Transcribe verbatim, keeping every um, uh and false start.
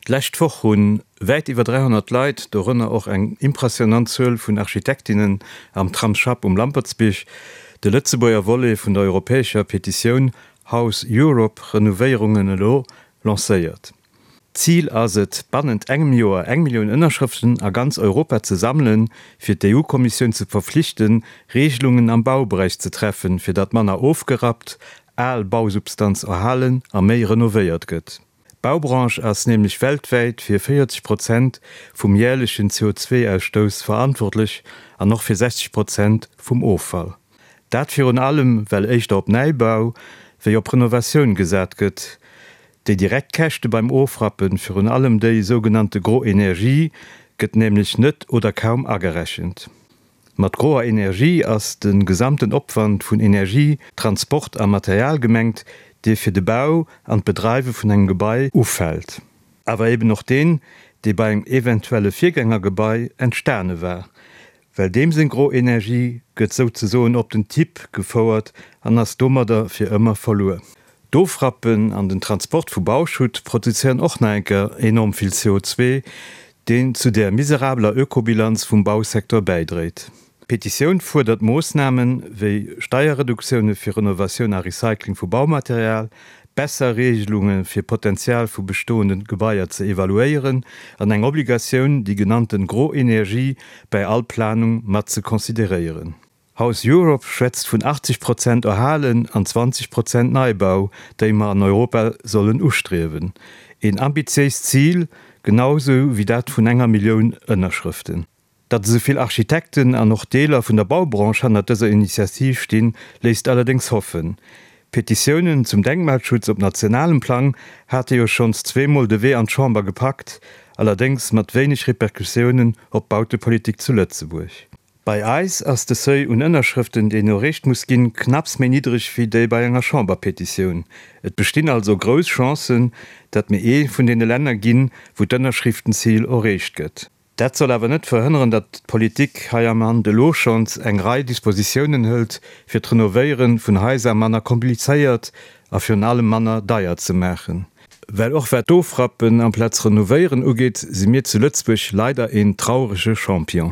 D'lescht Woch hunn wäit iwwer dräihonnert Leit, dorënner och eng impressionant Zuel vun Architektinnen, am Tramsschapp um Lampertsbierg de Lëtzebuerger Volet vun der europäescher Petitioun House Europe, Renovéierungen elo lancéiert. Zil ass et, bannent engem Joer eng Millioun Ënnerschrëften a ganz Europa ze sammelen, fir d'EU-Kommissioun ze verflichten, Reegelungen am Bauberäich ze treffen, fir datt manner ofgerappt, al Bausubstanz erhalen a méi renovéiert gëtt. D'Baubranche ass nämlech weltwäit fir véierzeg Prozent vum järlechen C O zwei Ausstouss verantwortlech an och fir sechzeg Prozent vum Offall. Dat virun allem, well éischter op Neibau wéi op Renovatioun gesat gëtt. Déi direkt Käschte beim Ofrappen, virun allem déi sougenannte gro Energie, gëtt nämlech net oder kaum agerechent. Mat groer Energie ass de gesamten Opwand vun Energie, Transport a Material gemengt, dee fir de Bau an d'Bedreiwe vun engem Gebai ufält. Awer eben och deen, dee bei engem eventuelle Virgängergebai entstane war. Well deem seng gro Energie gëtt souzesoen op den Tipp gefouert an ass domadder fir ëmmer verluer. D'Ofrappen an den Transport vu Bauschutt produzéieren och nach eng Kéier enorm vill C O zwei, deen zu der miserabeler Ökobilanz vum Bausecteur bäidréit. D'Petitioun fuerdert Moossnamen wéi Steierreduktioune fir Renovatioun a Recycling vu Baumaterial, besser Reegelunge fir Potenzial vu bestoenden Gebaier ze evaluéieren an eng Obligatioun, déi genannten gro Energie bei all Planung mat ze consideréieren. House Europe schwätzt vun achtzeg Prozent Erhalen an zwanzeg Prozent Neibau, déi mer an Europa sollen ustriewen. Een ambitiéist Zil, genauso wéi dat vun enger Millioun Ënnerschrëften. Datt esou vill Architekten an och Deeler vun der Baubranche hannert dëser Initiativ stinn, léisst allerdéngs hoffen. Petitiounen zum Denkmalschutz op nationalem Plang hate jo schonns zweemol de Wee an d'Chamber gepackt, allerdéngs mat wéineg Repercussiounen op d'Bautepolitik zu Lëtzebuerg. Bei eis ass de Seuil un Ënnerschrëften, deen erreecht muss ginn, knapps méi niddreg wéi déi bei enger Chamberpetitioun. Et bestinn also grouss Chancen, datt mir ee vun deene Länner ginn, wou d'Ënnerschriftenzil erreecht gëtt. Dat soll awer net verhënneren, datt d'Politik hei am Land elo schonns eng Rei Dispositiounen hëlt, fir d'Renovéiere vun Haiser manner komplizéiert a virun allem manner deier ze maachen. Well och wat d'Ofrappen amplaz Renovéieren ugeet, si mir zu Lëtzebuerg leider een traurege Champion.